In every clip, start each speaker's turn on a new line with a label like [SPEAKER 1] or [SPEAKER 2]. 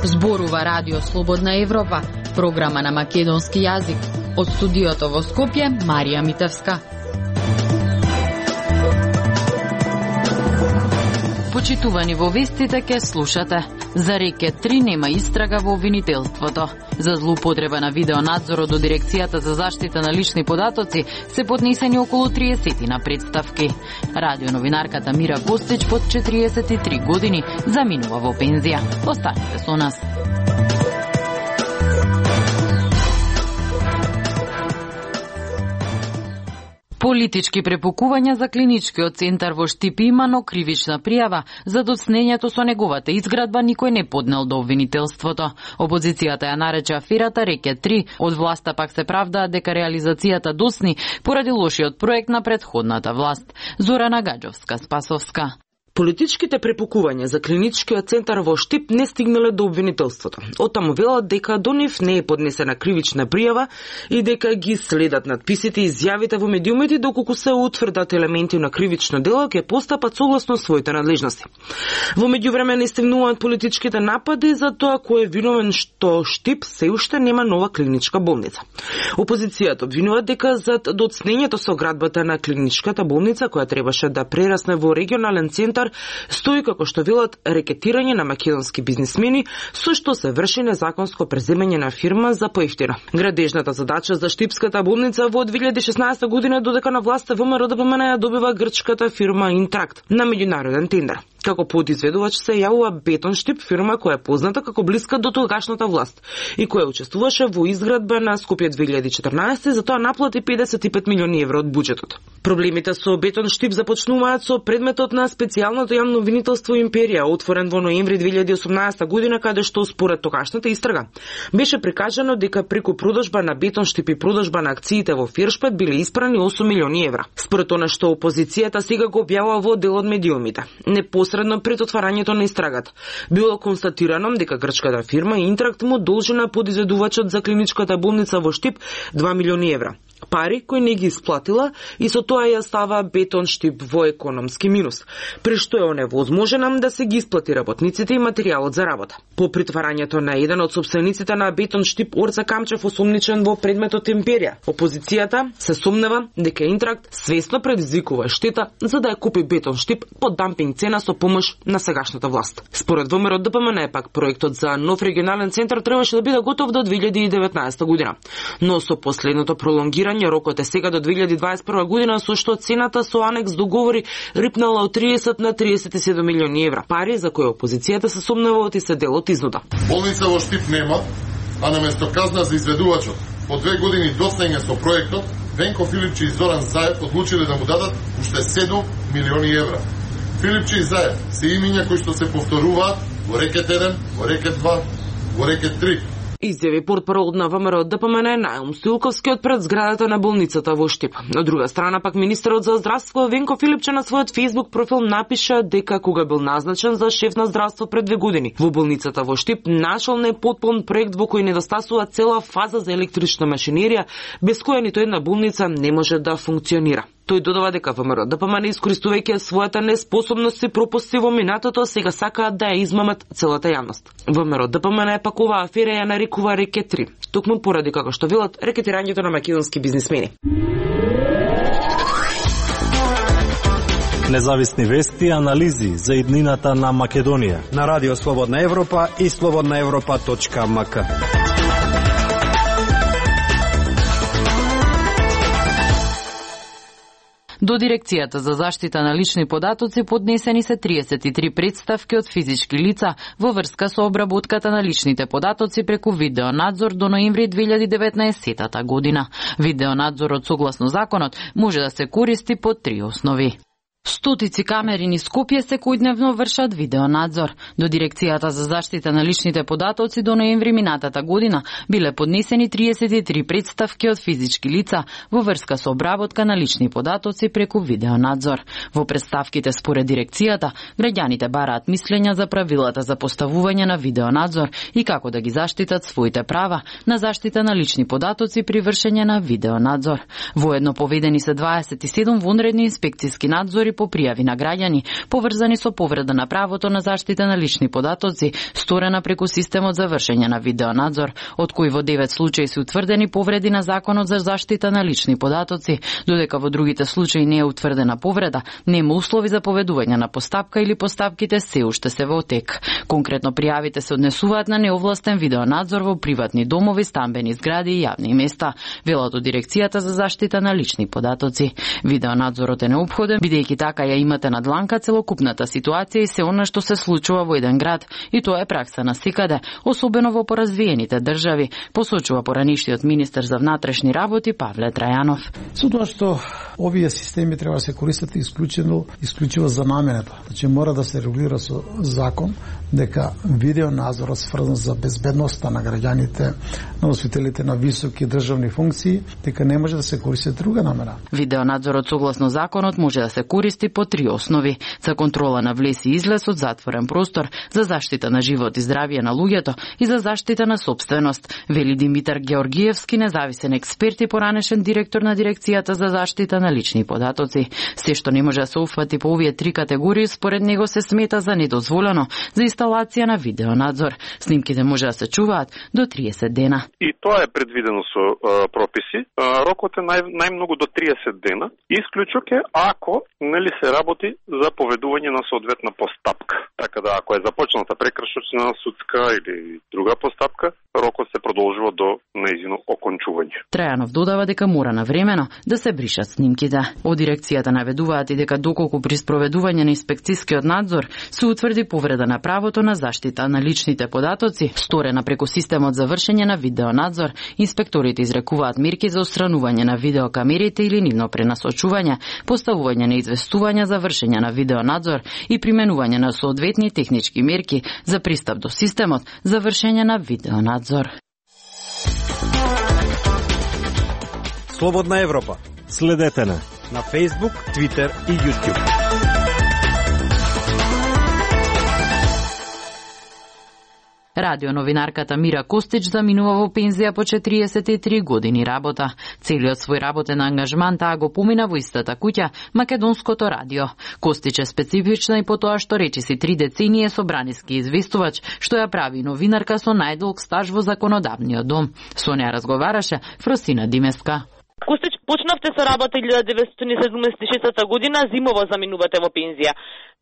[SPEAKER 1] Зборува Радио Слободна Европа, програма на македонски јазик. Од студиото во Скопје, Марија Митевска. Почитувани во вестите ке слушате. За рекет 3 нема истрага во обвинителството. За злоупотреба на видеонадзорот до Дирекцијата за заштита на лични податоци се поднесени околу 30 на представки. Радионовинарката Мира Костич под 43 години заминува во пензија. Останете со нас. Политички препукувања за клиничкиот центар во Штип има, но кривична пријава за доцнењето со неговата изградба никој не поднел до обвинителството. Опозицијата ја нарече аферата рекет 3, од власта пак се правдаа дека реализацијата досни поради лошиот проект на претходната власт. Зорана Гаджовска-Спасовска.
[SPEAKER 2] Политичките препукувања за клиничкиот центар во Штип не стигнале до обвинителството. Оттаму велат дека до нив не е поднесена кривична пријава и дека ги следат надписите и изјавите во медиумите доколку се утврдат елементи на кривично дело ќе постапат согласно своите надлежности. Во меѓувреме не стигнуваат политичките напади за тоа кој е виновен што Штип се уште нема нова клиничка болница. Опозицијата обвинува дека зад доцнењето со градбата на клиничката болница која требаше да прерасне во регионален центар стои како што велат рекетирање на македонски бизнисмени со што се врши незаконско преземање на фирма за поевтина. Градежната задача за Штипската болница во 2016 година додека на власта ВМРО-ДПМН ја добива грчката фирма Интракт на меѓународен тендер. Како подизведувач се јавува Бетон Штип, фирма која е позната како блиска до тогашната власт и која учествуваше во изградба на Скопје 2014, затоа наплати 55 милиони евро од буџетот. Проблемите со Бетон Штип започнуваат со предметот на специјалното јавно обвинителство Империја, отворен во ноември 2018 година, каде што според тогашната истрага беше прикажано дека преку продажба на Бетон Штип и продажба на акциите во Фиршпет биле испрани 8 милиони евра. Според она што опозицијата сега го објавува во дел од медиумите. Непосредно пред отварањето на истрагата било констатирано дека грчката фирма Интракт му должи на подизведувачот за клиничката болница во Штип 2 милиони евра. Пари кои не ги исплатила и со тоа ја става Бетон Штип во економски минус, при што е оневозможена да се ги исплати работниците и материјалот за работа. По притварањето на еден од сопствениците на Бетон Штип, Орца Камчев, осомничен во предметот Империја, опозицијата се сомнева дека Интракт свесно предизвикува штета за да ја купи Бетон Штип под дампинг цена со помош на сегашната власт. Според ВМРО-ДПМН пак проектот за нов регионален центар требаше да биде готов до 2019 година, но со последното пролонгирање рокот е сега до 2021 година, со што цената со анекс договори рипнала од 30 на 37 милиони евра. Пари за кои опозицијата се сомнeva и се дел од изнуда.
[SPEAKER 3] Болница во Штип нема, а наместо казна за изведувачот по 2 години доцнење со проектот, Венко Филипчи и Зоран Заев одлучиле да му дадат уште 7 милиони евра. Филипчи и Заев се имиња кои што се повторуваат во рекет 1, во рекет 2, во рекет 3.
[SPEAKER 2] Изјави портпарол на ВМРО-ДПМН Наум Стоилковски од пред зградата на болницата во Штип. Од друга страна пак министерот за здравство Венко Филипче на својот Facebook профил напиша дека кога бил назначен за шеф на здравство пред 2 години во болницата во Штип нашол непотпун проект во кој недостасува цела фаза за електрична машинерија, без која ниту една болница не може да функционира. Тој додава дека ВМРО-ДПМН искористувајќи својата неспособност и пропусти во минатото, сега сакаат да ја измамат целата јавност. ВМРО-ДПМН пак оваа афера ја нарекува рекет 3, токму поради како што велат рекетирањето на македонски бизнисмени.
[SPEAKER 4] Независни вести и анализи за иднината на Македонија
[SPEAKER 5] на Радио Слободна Европа и slobodnaevropa.mk.
[SPEAKER 1] До Дирекцијата за заштита на лични податоци поднесени се 33 представки од физички лица во врска со обработката на личните податоци преку видеонадзор до ноември 2019 година. Видеонадзорот согласно законот може да се користи по 3 основи. Стотици камери низ Скопје секојдневно вршат видеонадзор. До Дирекцијата за заштита на личните податоци до ноември минатата година биле поднесени 33 представки од физички лица во врска со обработка на лични податоци преку видеонадзор. Во представките според Дирекцијата, граѓаните бараат мислења за правилата за поставување на видеонадзор и како да ги заштитат своите права на заштита на лични податоци при вршење на видеонадзор. Воедно поведени се 27 вонредни инспекциски надзори по пријави на граѓани поврзани со повреда на правото на заштита на лични податоци, сторена преку системот за вршење на видеонадзор, од кои во 9 случаи се утврдени повреди на Законот за заштита на лични податоци, додека во другите случаи не е утврдена повреда, нема услови за поведување на постапка или постапките се уште се во тек. Конкретно пријавите се однесуваат на неовластен видеонадзор во приватни домови, стамбени згради и јавни места, велат од Дирекцијата за заштита на лични податоци. Видеонадзорот е неопходен, бидејќи така ја имате на дланка целокупната ситуација и се она што се случува во еден град, и тоа е пракса на секаде, особено во поразвиените држави, посочува поранишниот министер за внатрешни работи Павле Трајанов.
[SPEAKER 6] Со тоа што овие системи треба да се користат исклучиво за намената. Значи мора да се регулира со закон дека видеонадзорот сврзан за безбедноста на граѓаните, на носителите на високи државни функции, дека не може да се користи друга намера.
[SPEAKER 1] Видеонадзорот согласно законот може да се користи по 3 основи: за контрола на влез и излез од затворен простор, за заштита на живот и здравје на луѓето и за заштита на сопственост, вели Димитар Георгиевски, независен експерт и поранешен директор на Дирекцијата за заштита на лични податоци. Се што не може да се уфати по овие 3 категории, според него се смета за недозволено за инсталација на видеонадзор. Снимките може да се чуваат до 30 дена.
[SPEAKER 7] И тоа е предвидено со прописи. Рокот е најмногу до 30 дена. Исклучок е ако се работи за поведување на соодветна постапка. Така да ако е започната прекршочна, судска или друга постапка, рокот се продолжува до нејзино окончување.
[SPEAKER 1] Трајанов додава дека мора навремено да се бришат снимките. Од Дирекцијата наведуваат и дека доколку при спроведување на инспекцискиот надзор се утврди повреда на правото на заштита на личните податоци, сторена преку системот за вршење на видеонадзор, инспекторите изрекуваат мерки за отстранување на видеокамерите или нивно пренасочување, поставување на известувања за вршење на видеонадзор и применување на соодветни технички мерки за пристап до системот за вршење на видеонадзор.
[SPEAKER 5] Слободна Европа.
[SPEAKER 4] Следете на
[SPEAKER 5] Facebook, Twitter и YouTube.
[SPEAKER 1] Радионовинарката Мира Костич заминува во пензија по 43 години работа. Целиот свој работен ангажман таа го помина во истата куќа, Македонското радио. Костич е специфична и по тоа што речиси 3 децении е собраниски известувач, што ја прави новинарка со најдолг стаж во законодавниот дом. Со неа разговараше Фросина Димеска.
[SPEAKER 8] Костич, почнавте со работа 1976 година, зимово заминувате во пензија.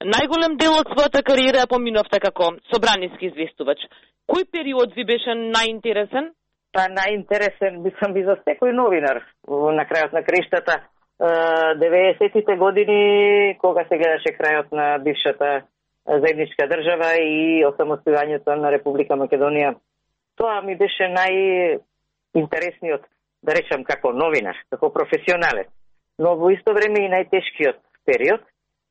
[SPEAKER 8] Најголем дел од својата кариера ја поминавте како собраниски известувач. Кој период ви беше најинтересен?
[SPEAKER 9] Па најинтересен мислам би за секој новинар. На крајот на краиштата 90-тите години, кога се гледаше крајот на бившата заедничка држава и осамостојањето на Република Македонија. Тоа ми беше најинтересниот, да речам, како новинар, како професионалец. Но во исто време и најтешкиот период,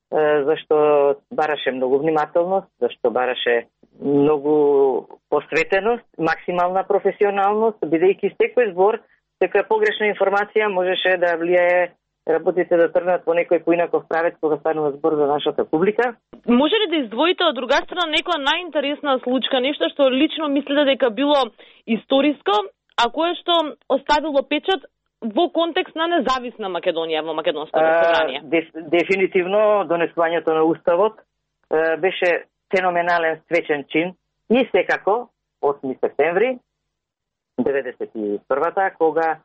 [SPEAKER 9] зашто бараше многу внимателност, зашто бараше многу посветеност, максимална професионалност, бидејќи секој збор, секоја погрешна информација можеше да влијае работите да тргнат по некој поинаков правец кога станува збор за нашата публика.
[SPEAKER 8] Може ли да издвоите од друга страна некоја најинтересна случка, нешто што лично мислите дека било историско, а кое што оставило печат во контекст на независна Македонија во Македонското собрание?
[SPEAKER 9] Дефинитивно донесувањето на Уставот беше феноменален свечен чин и секако 8 септември 1991-та, кога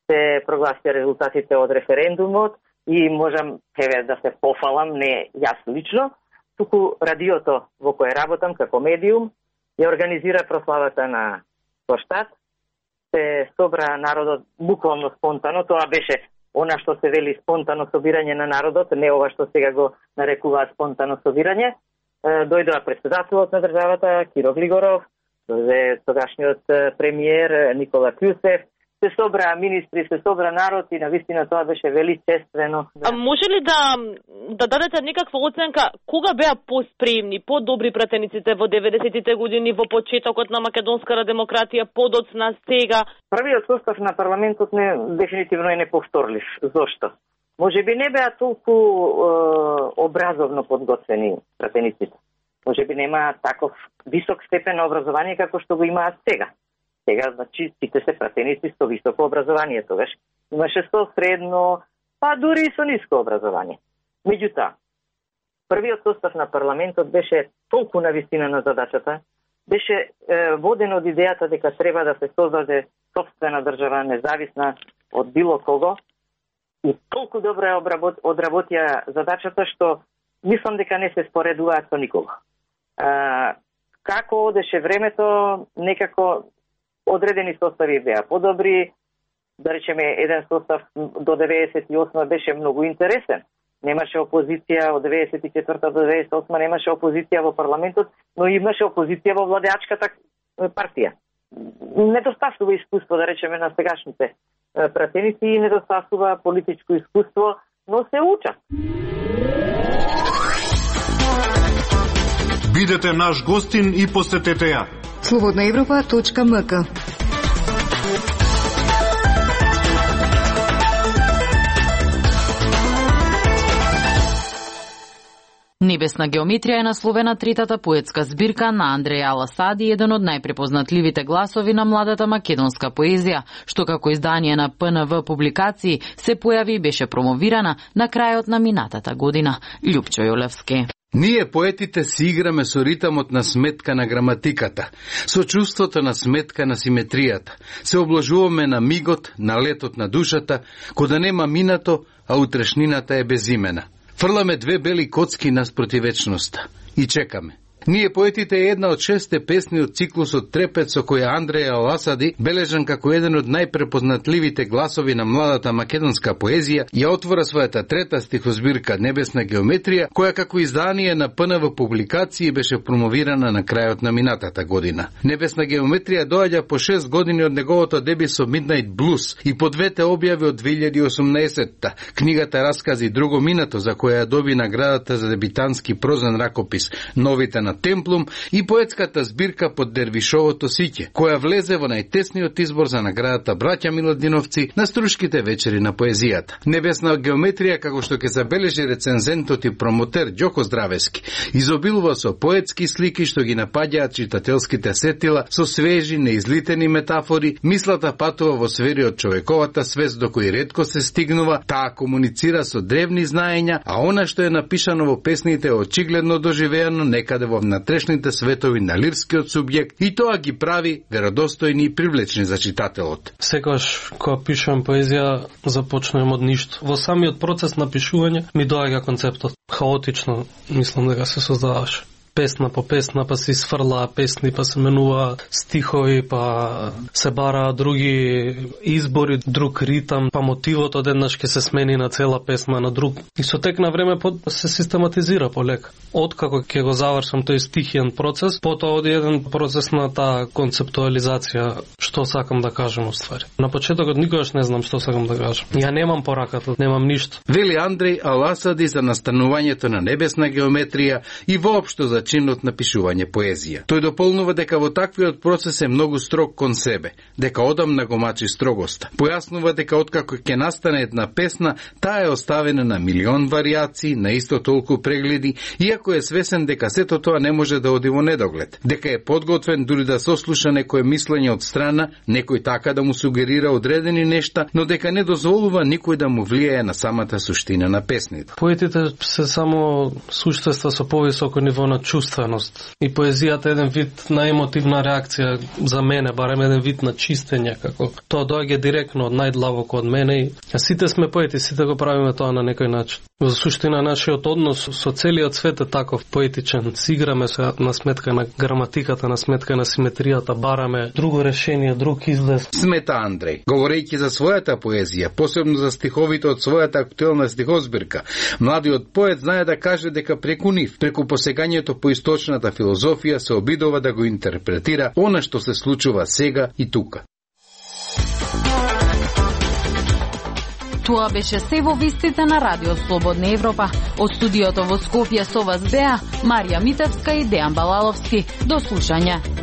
[SPEAKER 9] се прогласија резултатите од референдумот и можам да се пофалам, не јас лично, туку радиото во кое работам како медиум ја организира прославата на Коштат. Се собра народот буквално спонтано, тоа беше она што се вели спонтано собирање на народот, не ова што сега го нарекуваат спонтано собирање. Дојдоа претседателот на државата Киро Глигоров, дојде тогашниот премиер Никола Кјусев, се собраа министри, се собра народ и навистина тоа беше величествено.
[SPEAKER 8] А може ли да дадете некаква оценка кога беа поспремни, подобри пратениците во 90-тите години, во почетокот на македонската демократија, подоцна сега?
[SPEAKER 9] Првиот состав на парламентот дефинитивно е неповторлив. Зошто? Може би не беа толку образовно подготвени пратениците. Може би немаат таков висок степен на образование како што го имаат сега. Сега, значи, сите се пратеници со високо образование, тогаш имаше со средно, па дури и со ниско образование. Меѓутоа, првиот состав на парламентот беше толку на вистина на задачата, беше воден од идејата дека треба да се создаде собствена држава, независна од било кого, и толку добро одработија задачата, што мислам дека не се споредуваат со никого. Како одеше времето, некако одредени состави беа подобри, да речеме еден состав до 98 беше многу интересен. Немаше опозиција од 94 до 98 немаше опозиција во парламентот, но имаше опозиција во владеачката партија. Недостасува искуство, да речеме, на сегашните пратеници и недостасува политичко искуство, но се учат.
[SPEAKER 10] Бидете наш гостин и посетете ја.
[SPEAKER 11] Slobodnaevropa.mk.
[SPEAKER 1] Небесна геометрија е насловена третата поетска збирка на Андреја Аласади, еден од најпрепознатливите гласови на младата македонска поезија, што како издание на ПНВ публикации се појави и беше промовирана на крајот на минатата година. Љупчо Јолевски.
[SPEAKER 12] Ние поетите си играме со ритамот на сметка на граматиката, со чувството на сметка на симетријата. Се обложуваме на мигот, на летот на душата, кога нема минато, а утрешнината е безимена. Фрламе две бели коцки наспроти вечноста и чекаме. Ние поетите е една од 6 песни од циклусот Трепет со која Андреја Аласади, бележан како еден од најпрепознатливите гласови на младата македонска поезија, ја отвора својата трета стихозбирка Небесна геометрија, која како издание на ПНВ публикации беше промовирана на крајот на минатата година. Небесна геометрија доаѓа по 6 години од неговото деби со Midnight Blues и по двете објави од 2018-та, книгата Раскази друго минато, за која ја доби наградата за дебитански прозен ракопис Новите на Темплум, и поетската збирка Под Дервишовото сиќе, која влезе во најтесниот избор за наградата Браќа Миладиновци на Струшките вечери на поезијата. Небесна геометрија, како што ќе забележи рецензентот и промотер Ѓоко Здравески, изобилува со поетски слики што ги напаѓаат читателските сетила со свежи, неизлитени метафори. Мислата патува во сфери од човековата свест до кои ретко се стигнува, таа комуницира со древни знаења, а она што е напишано во песните е очигледно доживеано некаде во внатрешните светови на лирскиот субјект и тоа ги прави веродостојни и привлечни за читателот.
[SPEAKER 13] Секогаш кога пишувам поезија започнувам од ништо. Во самиот процес на пишување ми доаѓа концептот. Хаотично мислам дека се создаваше. Песна по песна, па се сфрлаа песни, па се менува стихови, па се бараа други избори, друг ритам, па мотивот одеднаш ќе се смени на цела песна на друг. И со тек на време се систематизира полека. Откако ќе го завршам тој стихиен процес, потоа оди еден процес на таа концептуализација, што сакам да кажам уствари. На почетокот никогаш не знам што сакам да кажам. Ја немам пораката, немам ништо.
[SPEAKER 12] Вели Андреј Аласади за настанувањето на небесна геометрија и воопшто за чинот на пишување поезија. Тој дополнува дека во таквиот процес е многу строг кон себе, дека одамна го мачи строгоста. Појаснува дека откако ќе настане една песна, таа е оставена на милион варијации, на исто толку прегледи, иако е свесен дека сето тоа не може да оди во недоглед. Дека е подготвен дури да сослуша некое мислење од страна, некој така да му сугерира одредени нешта, но дека не дозволува никој да му влијае на самата суштина на песните.
[SPEAKER 13] Поетите се само суштества со повисоко ниво на чувственост. И поезијата е еден вид на емотивна реакција за мене, барем еден вид на чистење, како тоа доаѓа директно од најдлабоко од мене и сите сме поети, сите го правиме тоа на некој начин. Во суштина нашиот однос со целиот свет е таков поетичен. Си играме на сметка на граматиката, на сметка на симетријата, бараме друго решение, друг излез.
[SPEAKER 12] Смета Андреј, говорејќи за својата поезија, посебно за стиховите од својата актуелна стихозбирка, младиот поет знае да каже дека преку нив, преку посегањето по источната филозофија се обидува да го интерпретира она што се случува сега и тука.
[SPEAKER 1] Тоа беше се во вестите на Радио Слободна Европа. Од студиото во Скопје со вас беа Марија Митевска и Дејан Балаловски. До слушање.